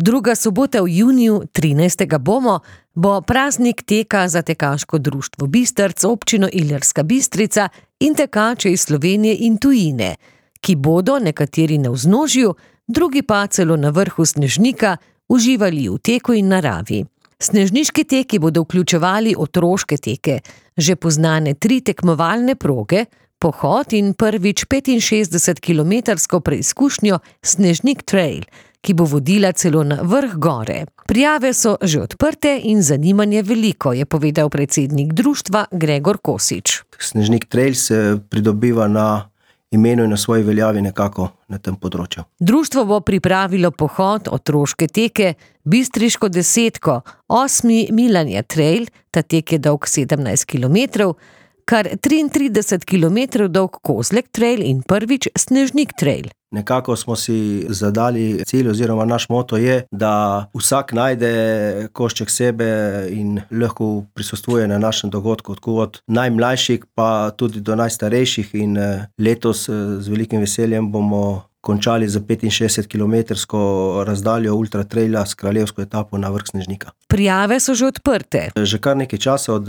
Druga sobota v juniju, 13. bo praznik teka za Tekaško društvo Bistrc, občino Ilirska Bistrica in tekače iz Slovenije in tujine, ki bodo nekateri na vznožju, drugi pa celo na vrhu Snežnika uživali v teku in naravi. Snežniški teki bodo vključevali otroške teke, že poznane 3 tekmovalne proge, pohod in prvič 65-kilometrsko preizkušnjo Snežnik Trail, ki bo vodila celo na vrh gore. Prijave so že odprte in zanimanje veliko, je povedal predsednik društva Gregor Kosič. Snežnik Trail se pridobiva na imenu in na svoji veljavi nekako na tem področju. Društvo bo pripravilo pohod otroške teke, Bistriško desetko, 8. Milanje Trail, ta tek je dolg 17 kilometrov, kar 33 kilometrov dolg Kozlek Trail in prvič Snežnik Trail. Nekako smo si zadali cilj oziroma naš moto je, da vsak najde košček sebe in lahko prisostvuje na našem dogodku, tako od najmlajših pa tudi do najstarejših, in letos z velikim veseljem bomo končali za 65-kilometrsko razdaljo ultra traila s kraljevsko etapo na vrh Snežnika. Prijave so že odprte. Že kar nekaj časa od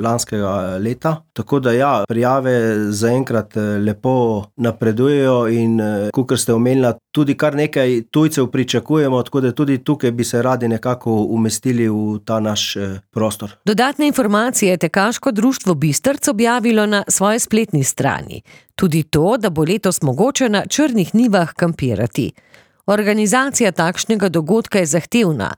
lanskega leta, tako da ja, prijave zaenkrat lepo napredujejo in kakor ste omenila, tudi kar nekaj tujcev pričakujemo, tako da tudi tukaj bi se radi nekako umestili v ta naš prostor. Dodatne informacije je Tekaško društvo Bistrc objavilo na svoji spletni strani. Tudi to, da bo letos mogoče na Črnih Nivah kampirati. Organizacija takšnega dogodka je zahtevna.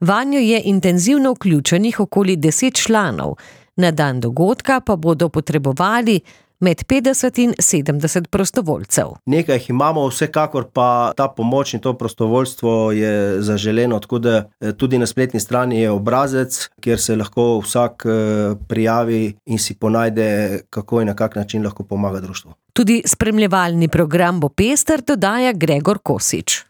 Vanjo je intenzivno vključenih okoli 10 članov. Na dan dogodka pa bodo potrebovali med 50 in 70 prostovoljcev. Nekaj jih imamo, vsekakor pa ta pomoč in to prostovoljstvo je zaželeno, tako da tudi na spletni strani je obrazec, kjer se lahko vsak prijavi in si ponajde, kako in na kak način lahko pomaga društvu. Tudi spremljevalni program bo pester, dodaja Gregor Kosič.